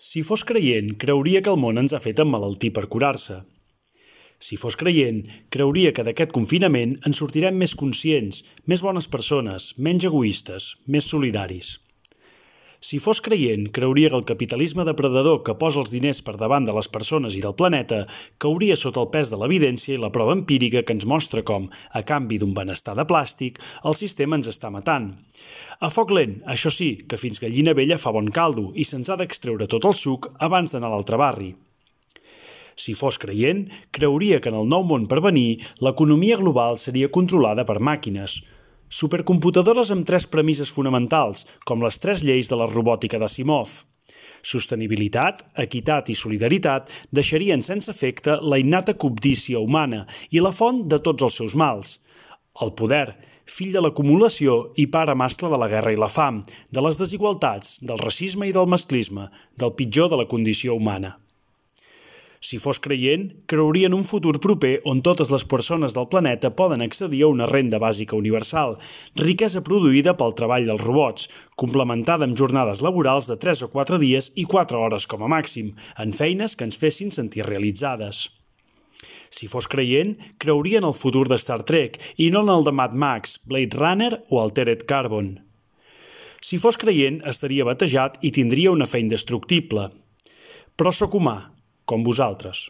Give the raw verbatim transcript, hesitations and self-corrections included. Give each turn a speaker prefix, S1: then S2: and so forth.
S1: Si fos creient, creuria que el món ens ha fet emmalaltir per curar-se. Si fos creient, creuria que d'aquest confinament en sortirem més conscients, més bones persones, menys egoistes, més solidaris. Si fos creient, creuria que el capitalisme depredador que posa els diners per davant de les persones i del planeta cauria sota el pes de l'evidència i la prova empírica que ens mostra com, a canvi d'un benestar de plàstic, el sistema ens està matant. A foc lent, això sí, que fins gallina vella fa bon caldo i se'ns ha d'extreure tot el suc abans d'anar a l'altre barri. Si fos creient, creuria que en el nou món per venir l'economia global seria controlada per màquines, supercomputadores amb tres premisses fonamentals, com les tres lleis de la robòtica d'Asimov. Sostenibilitat, equitat i solidaritat deixarien sense efecte la innata cobdícia humana i la font de tots els seus mals. El poder, fill de l'acumulació i pare mascle de la guerra i la fam, de les desigualtats, del racisme i del masclisme, del pitjor de la condició humana. Si fos creient, creuria en un futur proper on totes les persones del planeta poden accedir a una renda bàsica universal, riquesa produïda pel treball dels robots, complementada amb jornades laborals de tres o quatre dies i quatre hores com a màxim, en feines que ens fessin sentir realitzades. Si fos creient, creuria en el futur de Star Trek i no en el de Mad Max, Blade Runner o Altered Carbon. Si fos creient, estaria batejat i tindria una fe indestructible. Però sóc humà, com vosaltres.